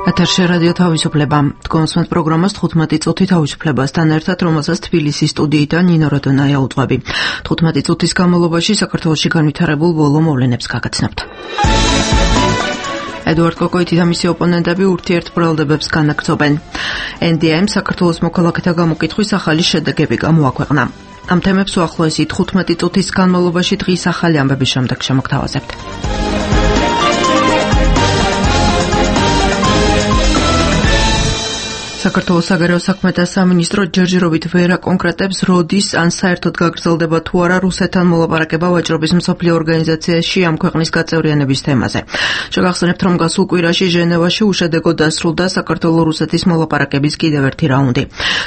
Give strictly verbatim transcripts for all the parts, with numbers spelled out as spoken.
ეთერში რადიო თავისუფლება. თქვენს პროგრამას თხუთმეტი წუთი თავისუფლებასთან ერთად, რომელსაც თბილისის სტუდიიდან ნინო როდონაია უძღვები. თხუთმეტი წუთის განმავლობაში საქართველოში განვითარებულ ბოლო მოვლენებს გაგაცნობთ. ედუარდ კოკოიტი და მისი ოპონენტები ურთიერთბრალდებებს განაგრძობენ. ენ დი ემ საქართველოს მოქალაქეთა გამოკითხვის ახალი შედეგები გამოაქვეყნა. ამ თემებს უახლოესი თხუთმეტი წუთის განმავლობაში დღის ახალი ამბების შემდეგ შემოგთავაზებთ. საქართველოს საგარეო საქმეთა სამინისტრო ჯერჯერობით ვერ აკონკრეტებს, როდის ან საერთოდ გაგრძელდება თუ არა რუსეთთან მოლაპარაკება ვაჭრობის მსოფლიო ორგანიზაციაში ამ ქვეყნის გაწევრიანების თემაზე. შეგახსენებთ, რომ გასულ კვირაში ჟენევაში უშედეგოდ დასრულდა საქართველო-რუსეთის მოლაპარაკების კიდევ ერთი რაუნდი.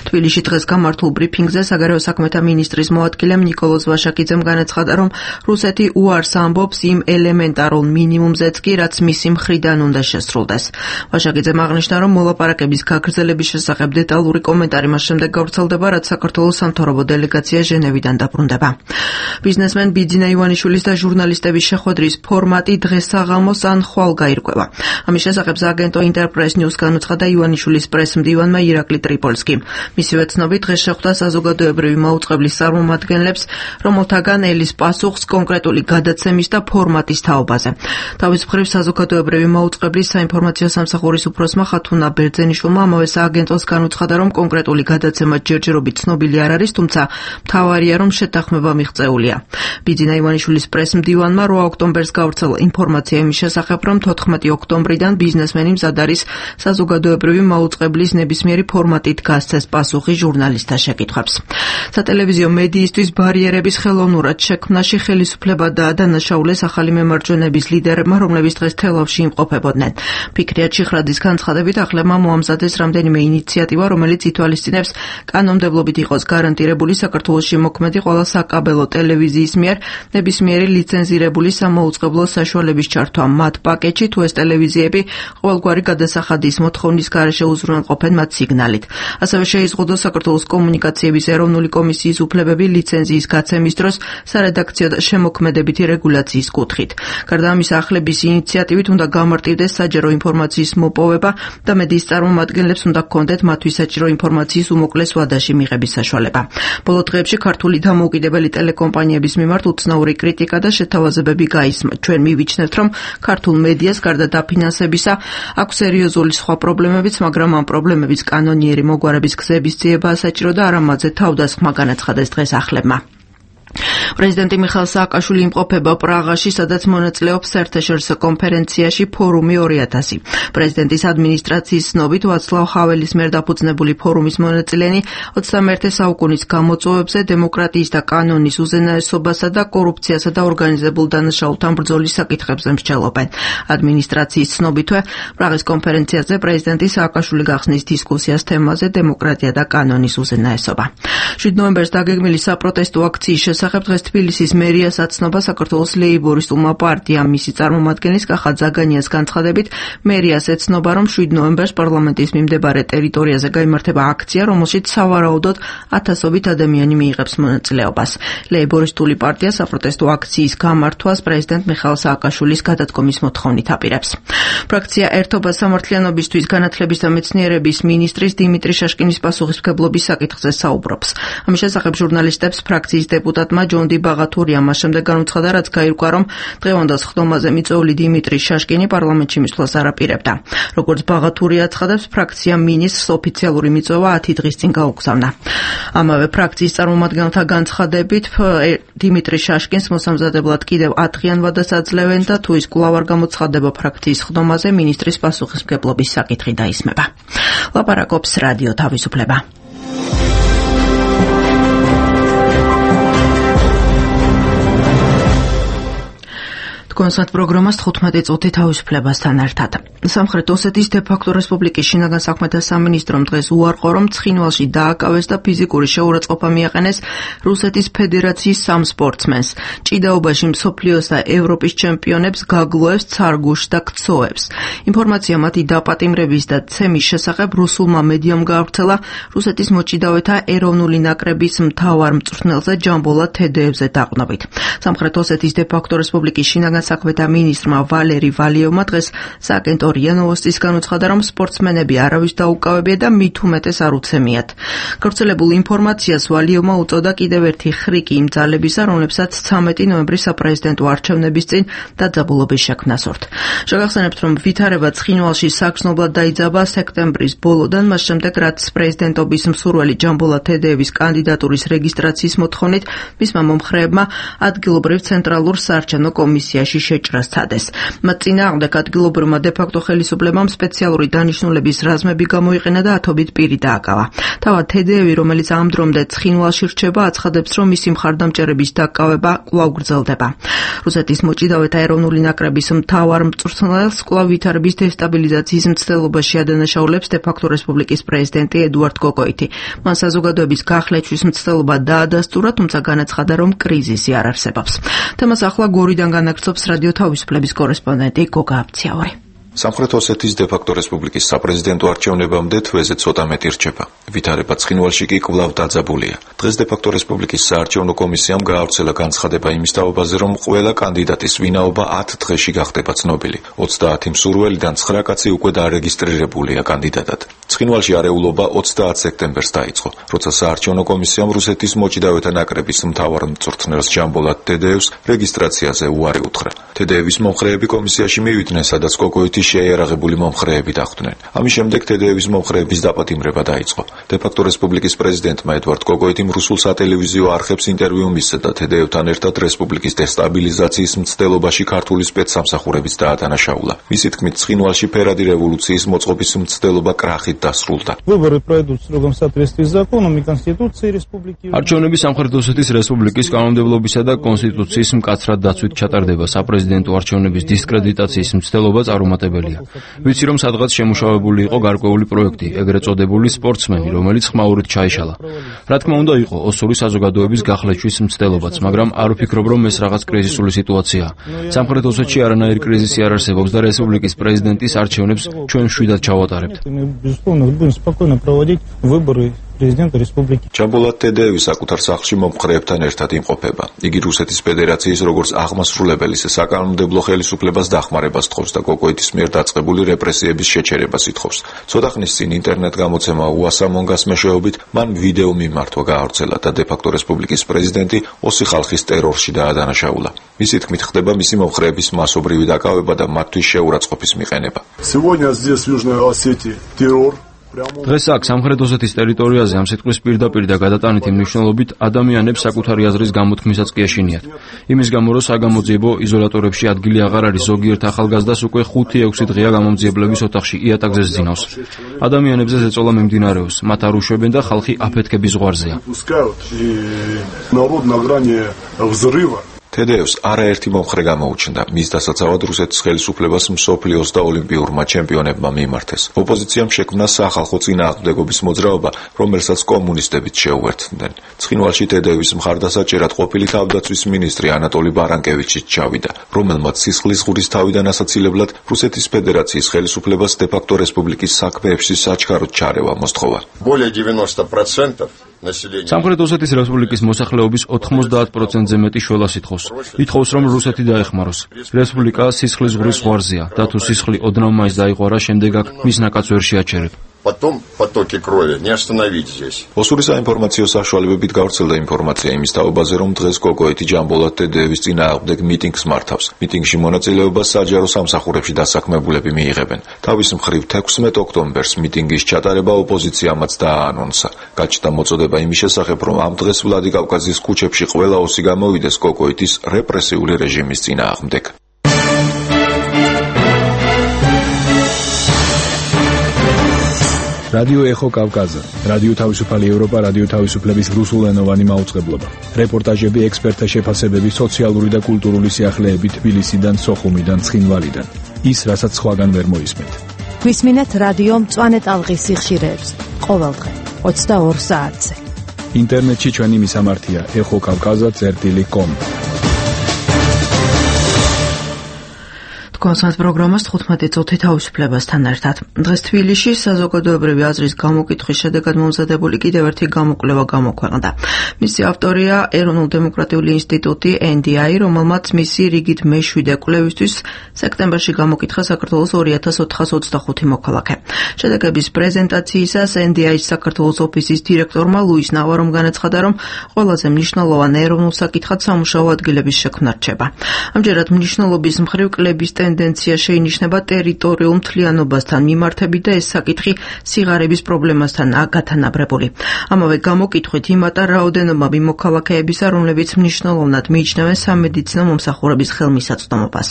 თბილისში დღეს გამართულ ბრიფინგზე საგარეო საქმეთა მინისტრის მოადგილემ ნიკოლოზ ვაშაკიძემ განაცხადა, რომ რუსეთი უარს ამბობს იმ ელემენტარულ მინიმუმზეც კი, რაც მისი მხრიდან უნდა შესრულდეს. ვაშაკიძემ აღნიშნა, რომ მოლაპარაკების გაგრძელების შესახებ დეტალური კომენტარი მას შემდეგ გავრცელდება, რაც საქართველოს სამთავრობო დელეგაცია ჟენევიდან დაბრუნდება. ბიზნესმენ ბიძინა ივანიშვილის და ჟურნალისტების შეხვედრის ფორმატი დღეს საღამოს ან ხვალ გაირკვევა. ამის შესახებ აგენტო ინტერპრეს ნიუს განუცხადა ივანიშვილის პრესმდივანმა ირაკლი ტრიპოლსკიმ. მისივე ცნობით, დღეს შეხვდა საზოგადოებრივი მაუწყებლის წარმომადგენლებს, რომელთაგან ელის პასუხს კონკრეტული გადაცემის და ფორმატის თაობაზე. თავის მხრივ საზოგადოებრივი მაუწყებლის საინფორმაციო სამსახურის უფროსმა ხათუნა ბერძენიშვილმა ამავე აგენტოს განუცხადა, რომ კონკრეტული გადაცემა ჯერჯერობით ცნობილი არ არის, თუმცა მთავარია, რომ შეთანხმება მიღწეულია. ბიძინა ივანიშვილის პრესმდივანმა რვა ოქტომბერს გავრცელა ინფორმაცია იმის შესახებ, რომ თოთხმეტი ოქტომბრიდან ბიზნესმენი მზად არის საზოგადოებრივი მაუწყებლის ნებისმიერი ფორმატით გასცეს პასუხი ჟურნალისტთა შეკითხვებს. სატელევიზიო მედიისთვის ბარიერების ხელოვნურად შექმნაში ხელისუფლება დაადანაშაულეს ახალი მემარჯვენეების ლიდერებმა, რომლებიც დღეს თელავში იმყოფებოდნენ. ფიქრია ჩიხრაძის განცხადებით, ახლებმა მოამზადეს რამდენიმე ინიციატივა, რომელიც ითვალისწინებს კანონმდებლობით იყოს გარანტირებული საქართველოში მოქმედი ყველა საკაბელო ტელევიზიის მიერ ნებისმიერი ლიცენზირებული სამაუწყებლო საშუალების ჩართვა მათ პაკეტში, თუ ეს ტელევიზიები ყოველგვარი გადასახადის მოთხოვნის გარეშე უზრუნველყოფენ მათ სიგნალით. ასევე შეიზღუდოს საქართველოს კომუნიკაციების ეროვნული კომისიის უფლებები ლიცენზიის გაცემის დროს სარედაქციო და შემოქმედებითი რეგულაციის კუთხით. გარდა ამისა, ახლების ინიციატივით უნდა გამარტივდეს საჯარო ინფორმაციის მოპოვება და მედიის წარმომადგენლებს უნდა გქონდეთ მათთვის საჭირო ინფორმაციის უმოკლეს ვადაში მიღების საშუალება. ბოლო დღეებში ქართული დამოუკიდებელი ტელეკომპანიების მიმართ უცნაური კრიტიკა და შეთავაზებები გაისმა. ჩვენ მივიჩნევთ, რომ ქართულ მედიას გარდა დაფინანსებისა აქვს სერიოზული სხვა პრობლემებიც, მაგრამ ამ პრობლემების კანონიერი მოგვარების გზების ძიებაა საჭირო და არა მათზე თავდასხმა, განაცხადეს დღეს ახლებმა. პრეზიდენტი მიხაილ სააკაშვილი იმყოფება პრაღაში, სადაც მონაწილეობს საერთაშორისო კონფერენციაში ფორუმი ორი ათასი. პრეზიდენტის ადმინისტრაციის ცნობით, ვაცლავ ჰაველის მიერ დაფუძნებული ფორუმის მონაწილენი ოცდამეერთე საუკუნის გამოწვევებზე, დემოკრატიის და კანონის უზენაესობასა და კორუფციასა და ორგანიზებულ დანაშაულთან ბრძოლის საკითხებზე მსჯელობენ. ადმინისტრაციის ცნობითვე, პრაღის კონფერენციაზე პრეზიდენტი სააკაშვილი გახსნის დისკუსიას თემაზე დემოკრატია და კანონის უზენაესობა. შვიდ ნოემბერს დაგეგმილი საპროტესტო აქციის შესახებ დღეს თბილისის მერიას აცნობა საქართველოს ლეიბორისტულმა პარტიამ. მისი წარმომადგენლის კახა ზაგანიას განცხადებით, მერიას ეცნობა, რომ შვიდ ნოემბერს პარლამენტის მიმდებარე ტერიტორიაზე გაიმართება აქცია, რომელშიც სავარაუდოდ ათასობით ადამიანი მიიღებს მონაწილეობას. ლეიბორისტული პარტია საპროტესტო აქციის გამართვას პრეზიდენტ მიხაილ სააკაშვილის გადადგომის მოთხოვნით აპირებს. ფრაქცია ერთობა სამართლიანობისთვის განათლების და მეცნიერების მინისტრის დიმიტრი შაშკინის პასუხისმგებლობის საკითხზე საუბრობს. ამის შესახებ ჟურნალისტებს ფრაქციის დეპუტატმა ჯონდი ბაღათურია მას შემდეგ განუცხადა, რაც გაირკვა, რომ დღევანდელ სხდომაზე მიწვეული დიმიტრი შაშკინი პარლამენტში მისვლას არ აპირებდა. როგორც ბაღათურია აცხადებს, ფრაქცია მინისტრს ოფიციალური მიწვევა ათი დღის წინ გაუგზავნა. ამავე ფრაქციის წარმომადგენელთა განცხადებით, დიმიტრი შაშკინს მოსამზადებლად კიდევ ათღიან ვადას აძლევენ და თუ ის კვლავ არ გამოცხადდება ფრაქციის სხდომაზე, მინისტრის პასუხისმგებლობის საკითხი დაისმება. ლაპარაკობს რადიო თავისუფლება. კონსერტ პროგრამას თხუთმეტი წუთი თავისუფლებასთან ერთად. სამხრეთ ოსეთის დე-ფაქტო რესპუბლიკის შინაგან საქმეთა სამინისტრომ დღეს უარყო, რომ ცხინვალში დააკავეს და ფიზიკური შეურაცხყოფა მიაყენეს რუსეთის ფედერაციის სამ სპორტსმენს. ჭიდაობაში მსოფლიოს და ევროპის ჩემპიონებს გაგლოევს, ცარგუშს და ქცოევს. ინფორმაცია მათი დაპატიმრების და ცემის შესახებ რუსულმა მედიამ გაავრცელა რუსეთის მოჭიდავეთა ეროვნული ნაკრების მთავარ მწვრთნელზე ჯამბოლა თედეევზე დაყრდნობით. სამხრეთ ოსეთის დე-ფაქტო რესპუბლიკის შინაგან განათლება მინისტრმა ვალერი ვალიოვმა დღეს სააგენტო რია ნოვოსტისგან უცხადა, რომ სპორტსმენები არავის დაუკავებია და მით უმეტეს არ უცემიათ. გავრცელებულ ინფორმაციას ვალიოვმა უწოდა კიდევ ერთი ხრიკი იმ ძალებისა, რომლებსაც ცამეტი ნოემბრის საპრეზიდენტო არჩევნების წინ დაძაბულობის შექმნასურთ. შეგახსენებთ, რომ ვითარება ცხინვალში საგრძნობლად დაიძაბა სექტემბრის ბოლოდან, მას შემდეგ რაც პრეზიდენტობის მსურველი ჯამბოლა თედეევის კანდიდატურის რეგისტრაციის მოთხოვნით მისმა მომხრეებმა ადგილობრივ ცენტრალურ საარჩევნო კომისიაში შეჭრა სცადეს. მათ წინააღმდეგ ადგილობრივმა დე-ფაქტო ხელისუფლებამ სპეციალური დანიშნულების რაზმები გამოიყენა და ათობით პირი დააკავა. თავად თედეევი, რომელიც ამ დრომდე ცხინვალში რჩება, აცხადებს, რომ მისი მხარდამჭერების დაკავება კვლავ გრძელდება. რუსეთის მოჭიდავეთა ეროვნული ნაკრების მთავარ მწვრთნელს კვლავ ვითარების დესტაბილიზაციის მცდელობაში ადანაშაულებს დე-ფაქტო რესპუბლიკის პრეზიდენტი ედუარდ კოკოიტი. მან საზოგადოების გახლეჩვის მცდელობა დაადასტურა, თუმცა განაცხადა, რომ კრიზისი არ არსებობს. თემას ახლა გორიდან განაგრძობს რადიო თავისუფლების კორესპონდენტი გოგა აბციაური. სამხრეთ ოსეთის დე-ფაქტო რესპუბლიკის საპრეზიდენტო არჩევნებამდე თვეზე ცოტა მეტი რჩება. ვითარება ცხინვალში კი კვლავ დაძაბულია. დღეს დე-ფაქტო რესპუბლიკის საარჩევნო კომისიამ გაავრცელა განცხადება იმის თაობაზე, რომ ყველა კანდიდატის ვინაობა ათ დღეში გახდება ცნობილი. ოცდაათი მსურველიდან ცხრა კაცი უკვე დარეგისტრირებულია კანდიდატად. ცხინვალში არეულობა ოცდაათ სექტემბერს დაიწყო, როცა საარჩევნო კომისიამ რუსეთის მოჭიდავეთა ნაკრების მთავარ მწვრთნელს ჯამბოლა თედეევს რეგისტრაციაზე უარი უთხრა. თედეევის მომხრეები კომისიაში მივიდნენ, სადაც კოკოიტი შეიარაღებული მომხრეები დახვდნენ. ამის შემდეგ თედეევის მომხრეების დაპატიმრება დაიწყო. დე-ფაქტო რესპუბლიკის პრეზიდენტმა ედუარდ კოკოიტიმ რუსულ სატელევიზიო არხებს ინტერვიუ მისცა და თედეევთან ერთად რესპუბლიკის დესტაბილიზაციის მცდელობაში ქართული სპეცსამსახურებიც დაადანაშაულა. მისი თქმით, ცხინვალში ფერადი რევოლუციის მოწყობის მცდელობა კრახით დასრულდა. არჩევნები სამხრეთ ოსეთის რესპუბლიკის კანონმდებლობისა და კონსტიტუციის მკაცრად დაცვით ჩატარდება. საპრეზიდენტო არჩევნების დისკრედიტაციის მცდელობაც არ უმატებელია. ვიცი, რომ სადღაც შემუშავებული იყო გარკვეული პროექტი, ეგრეთ წოდებული სპორტსმენი, რომელიც ხმაურით ჩაიშალა. რა თქმა უნდა, იყო ოსური საზოგადოების გახლეჩვის მცდელობაც, მაგრამ არ ვფიქრობ, რომ ეს რაღაც კრიზისული სიტუაციაა. სამხრეთ ოსეთში არანაირი კრიზისი არ არსებობს და რესპუბლიკის პრეზიდენტის არჩევნებს ჩვენ მშვიდად ჩავატარებთ. президента республики. ჯამბოლა თედეევი საკუთარ სახლში მომხრეებთან ერთად იმყოფება. იგი რუსეთის ფედერაციის როგორც აღმასრულებელი საკანონმდებლო ხელისუფლებას დახმარებას თხოვს და კოკოიტის მიერ დაწყებული რეპრესიების შეჩერებას ითხოვს. ცოტა ხნის წინ ინტერნეტ გამოცემა უასამონგას მეშვეობით მან ვიდეო მიმართვა გაავრცელა და დე-ფაქტო რესპუბლიკის პრეზიდენტი ოსი ხალხის ტერორში დაადანაშაულა. მისი თქმით, ხდება მისი მომხრეების მასობრივი დაკავება და მათთვის შეურაცხყოფის მიყენება. Сегодня здесь в Южной Осетии террор. დღეს აქ სამხრეთ ოსეთის ტერიტორიაზე ამ სიტყვის პირდაპირ და გადატანითი მნიშვნელობით ადამიანებს საკუთარი აზრის გამოთქმისაც კი ეშინიათ. იმის გამო, რომ საგამოძიებო იზოლატორებში ადგილი აღარ არის, ზოგიერთ ახალგაზრდას უკვე ხუთი ექვსი დღეა გამომძიებლების ოთახში იატაკზე ზძინავს. ადამიანებზე ზეწოლა მიმდინარეობს, მათ არ უშვებენ და ხალხი აფეთქების ზღვარზეა. თედეევს არაერთი მომხრე გამოუჩნდა. მის დასაცავად რუსეთის ხელისუფლებას მსოფლიოს და ოლიმპიურმა ჩემპიონებმა მიიმართეს. ოპოზიციამ შექმნა სახალხო წინააღმდეგობის მოძრაობა, რომელსაც კომუნისტებიც შეუერთდნენ. ცხინვალში თედეევის მხარდასაჭერად ყოფილი თავდაცვის მინისტრი ანატოლი ბარანკევიჩიც ჩავიდა, რომელმაც სისხლის ღურის თავიდან ასაცილებლად რუსეთის ფედერაციის ხელისუფლებას დე-ფაქტო რესპუბლიკის საქმეებში საჩქაროდ ჩარევა მოსთხოვა. более девяносто процентов სამხრეთ ოსეთის რესპუბლიკის მოსახლეობის ოთხმოცდაათ პროცენტზე მეტი შველას ითხოვს. ითხოვს, რომ რუსეთი დაეხმაროს. რესპუბლიკა სისხლის ღურის ზღვარზეა და თუ სისხლი ოდნავ მაინც დაიღვარა, შემდეგ აქ მის ნაკადს ვერ შეაჩერებ. Потом потоки крови не остановить здесь. ოსური საინფორმაციო საშუალებებით გავრცელდა ინფორმაცია იმის თაობაზე, რომ დღეს კოკოიტი ჯამბოლა თედეევის წინააღმდეგ მიტინგს მართავს. მიტინგში მონაწილეობას საჯარო სამსახურებში დასაქმებულები მიიღებენ. თავის მხრივ თექვსმეტ ოქტომბერს მიტინგის ჩატარება ოპოზიციამაც დააანონსა. გაჩნდა მოწოდება იმის შესახებ, რომ ამ დღეს ვლადიკავკაზის ქუჩებში ყველა ოსი გამოვიდეს კოკოიტის რეპრესიული რეჟიმის წინააღმდეგ. რადიო ეხო კავკაზა, რადიო თავისუფალი ევროპა, რადიო თავისუფლების რუსულენოვანი მაუწყებლობა. რეპორტაჟები, ექსპერტთა შეფასებები, სოციალური და კულტურული სიახლეები თბილისიდან, სოხუმიდან, ცხინვალიდან. ის, რასაც სხვაგან ვერ მოისმენთ. გვისმინეთ რადიო მწვანე ტალღის სიხშირეებს ყოველდღე ოცდაორ საათზე. ინტერნეტში ჩვენი მისამართია ეხო კავკაზა წერტილი კომ. კონსანს პროგრამას თხუთმეტი წუთი თავისუფლებასთან ერთად. დღეს თბილისში საზოგადოებრივი აზრის გამოკითხვის შედეგად მომზადებული კიდევ ერთი გამოკვლევა გამოქვეყნდა. მისი ავტორია ეროვნულ-დემოკრატიული ინსტიტუტი ენ დი აი, რომელმაც მისი რიგით მეშვიდე კვლევისთვის სექტემბერში გამოკითხა საქართველოს ორი ათას ოთხას ოცდახუთი მოქალაქე. შედეგების პრეზენტაციისას ენ დი აის საქართველოს ოფისის დირექტორმა ლუის ნავარომ განაცხადა, რომ ყველაზე მნიშვნელოვანი ეროვნულ საკითხად სამუშაო ადგილების შექმნა რჩება. ამჯერად მნიშვნელობის მხრივ კლების ტენდენცია შეინიშნება ტერიტორიულ მთლიანობასთან მიმართებით და ეს საკითხი სიღარიბის პრობლემასთან გათანაბრებული. ამავე გამოკითხვით იმატა რაოდენობა მოქალაქეებისა, რომლებიც მნიშვნელოვნად მიიჩნევენ სამედიცინო მომსახურების ხელმისაწვდომობას.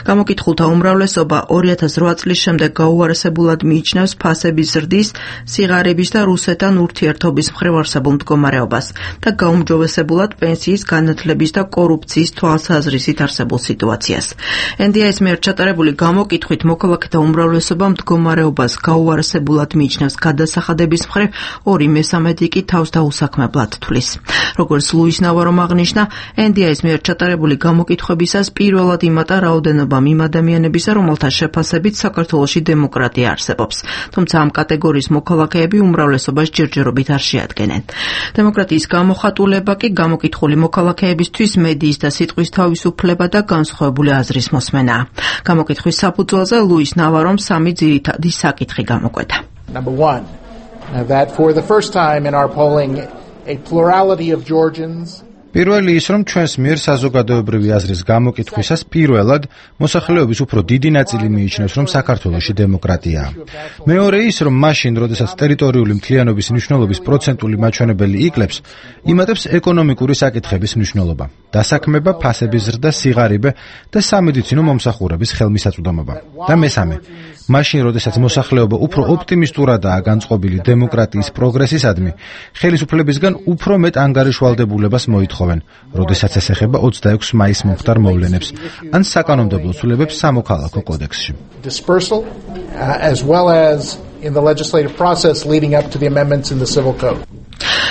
გამოკითხულთა უმრავლესობა ორი ათას რვა წლის შემდეგ გაუარესებულად მიიჩნევს ფასების ზრდის, სიღარიბის და რუსეთთან ურთიერთობის მხრივ არსებულ მდგომარეობას და გაუმჯობესებულად პენსიის განათლების და კორუფციის თვალსაზრისით არსებულ სიტუაციას. ენ დი აის მიერ ჩატარებული გამოკითხვით მოქალაქეთა უმრავლესობა მდგომარეობას გაუარესებულად მიიჩნევს გადასახადების მხრივ, ორი მესამედი კი თავს დაუსაქმებლად თვლის. როგორც ლუის ნავარომ აღნიშნა, ენ დი აის მიერ ჩატარებული გამოკითხვებისას პირველად იმატა რაოდენობა იმ ადამიანებისა, რომელთა შეფასებით საქართველოში დემოკრატია არსებობს. თუმცა ამ კატეგორიის მოქალაქეები უმრავლესობას ჯერჯერობით არ შეადგენენ. დემოკრატიის გამოხატულება კი გამოკითხული მოქალაქეებისთვის მედიის და სიტყვის თავისუფლება და განსხვავებული აზრის მოსმენაა. გამოკითხვის საფუძველზე ლუის ნავარომ სამი ძირითადი საკითხი გამოკვეთა. Number one, that for the first time in our polling, a plurality of Georgians პირველი ის, რომ ჩვენს მიერ საზოგადოებრივი აზრის გამოკითხვისას პირველად მოსახლეობის უფრო დიდი ნაწილი მიიჩნევს, რომ საქართველოში დემოკრატიაა. მეორე ის, რომ მაშინ, როდესაც ტერიტორიული მთლიანობის მნიშვნელობის პროცენტული მაჩვენებელი იკლებს, იმატებს ეკონომიკური საკითხების მნიშვნელობა, დასაქმება, ფასების ზრდა, სიღარიბე და სამედიცინო მომსახურების ხელმისაწვდომობა. და მესამე, მაშინ, როდესაც მოსახლეობა უფრო ოპტიმისტურადაა განწყობილი დემოკრატიის პროგრესისადმი, ხელისუფლებისგან უფრო მეტ ანგარიშვალდებულებას მოითხოვს. როდესაც ეს ეხება ოცდაექვსი მაისს მომხდარ მოვლენებს ან საკანონმდებლო ცვლილებებს სამოქალაქო კოდექსში. Dispersal uh, as well as in the legislative process leading up to the amendments in the civil code.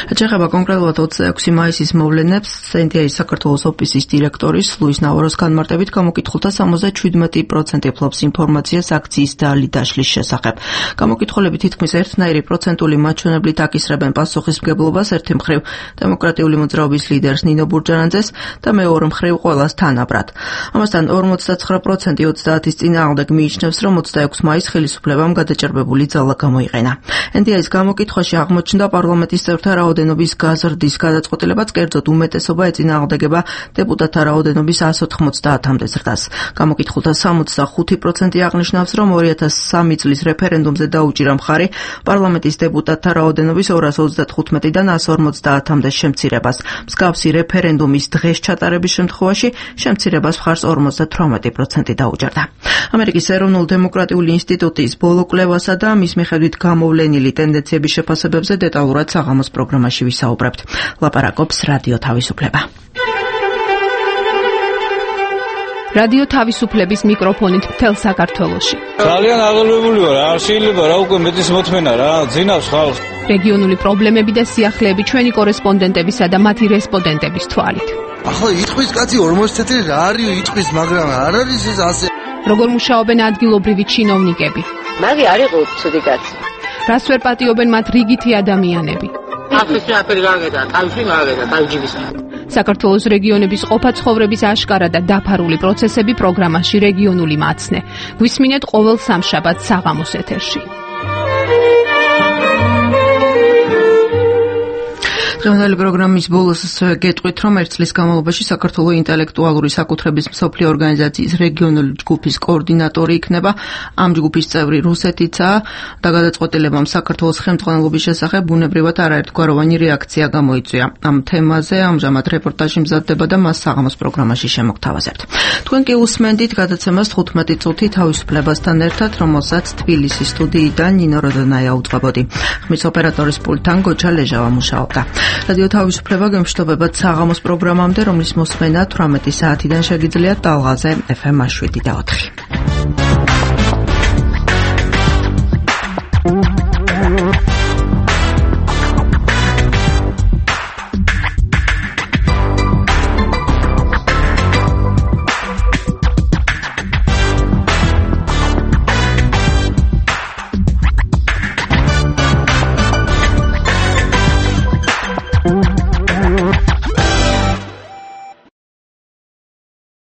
Ეხება კონკრეტულად ოცდაექვსი მაისის მოვლენებს, ენ დი აის საქართველოს ოფისის დირექტორის ლუის ნავაროს განმარტებით გამოკითხულთა სამოცდაშვიდმეტი პროცენტი ფლობს ინფორმაციას აქციის დალი დაშლის შესახებ. გამოკითხულები თითქმის ერთნაირი პროცენტული მაჩვენებლით აკისრებენ პასუხისმგებლობას, ერთი მხრივ დემოკრატიული მოძრაობის ლიდერს ნინო ბურჯანაძეს და მეორე მხრივ ყველას თანაბრად. ამასთან ორმოცდაცხრა პროცენტი ოცდაათის წინააღმდეგ მიიჩნევს, რომ ოცდაექვსი მაისს ხელისუფლებამ გადაჭერბებული ძალა გამოიყენა. ენ დი აის გამოკითხვაში აღმოჩნდა პარლამენტის წევრთა რაოდენობის გაზრდის გადაწყვეტილებაც, კერძოდ უმეტესობა ეწინააღმდეგება დეპუტატთა რაოდენობის ასს ოთხმოცდაათამდე ზრდას. გამოკითხულთა სამოცდახუთი პროცენტი აღნიშნავს, რომ ორი ათას სამი წლის რეფერენდუმზე დაუჭირა მხარი პარლამენტის დეპუტატთა რაოდენობის ორას ოცდათხუთმეტიდან ასს ორმოცდაათამდე შემცირებას. მსგავსი რეფერენდუმის დღეს ჩატარების შემთხვევაში შემცირებას მხარს ორმოცდათვრამეტი პროცენტი დაუჭერდა. ამერიკის ეროვნულ-დემოკრატიული ინსტიტუტის ბოლო კვლევასა და მის მიხედვით გამოვლენილი ტენდენციების შეფასებებზე დეტალურად საღამოს პროგრამაში ვისაუბრებთ. ლაპარაკობს რადიო თავისუფლება. რადიო თავისუფლების მიკროფონით მთელ საქართველოში. ძალიან აღელვებული ვარ, არ შეიძლება რა უკვე მეტის მოთმენა რა, ძინავს ხალხს. რეგიონული პრობლემები და სიახლეები ჩვენი კორესპონდენტებისა და მათი რესპონდენტების თვალით. ახლა იტყვის კაცი ორმოცი თეთრი რა არის იტყვის, მაგრამ არ არის ეს ასე. როგორ მუშაობენ ადგილობრივი ჩინოვნიკები? მაგი არ იყო ცუდი კაცი. რას ვერ პატიობენ მათ რიგითი ადამიანები? ახლა აფერი გაგედა, თავში გაგედა, თავჯიბის. საქართველოს რეგიონების ყოფა-ცხოვრების აშკარა და დაფარული პროცესები პროგრამაში რეგიონული მაცნე. გვისმინეთ ყოველ სამშაბათს საღამოს ეთერში. დღევანდელი პროგრამის ბოლოს გეტყვით, რომ ერთ წლის განმავლობაში საქართველოს ინტელექტუალური საკუთრების მსოფლიო ორგანიზაციის რეგიონული ჯგუფის კოორდინატორი იქნება. ამ ჯგუფის წევრი რუსეთიცაა და გადაწყვეტილებამ საქართველოს ხელმძღვანელობის შესახებ ბუნებრივად არაერთგვაროვანი რეაქცია გამოიწვია. ამ თემაზე ამჟამად რეპორტაჟი მზადდება და მას საღამოს პროგრამაში შემოგთავაზებთ. თქვენ კი უსმენდით გადაცემას თხუთმეტი წუთი თავისუფლებასთან ერთად, რომელსაც თბილისის სტუდიიდან ნინო როდონაია უძღვებოდი. ხმის ოპერატორის პულტთან გოჩა ლეჟავა მუშაობდა. რადიო თავისუფლება გემშვიდობებათ საღამოს პროგრამამდე, რომლის მოსმენა თვრამეტი საათიდან შეგიძლიათ ტალღაზე ეფ ემ შვიდი და ოთხი.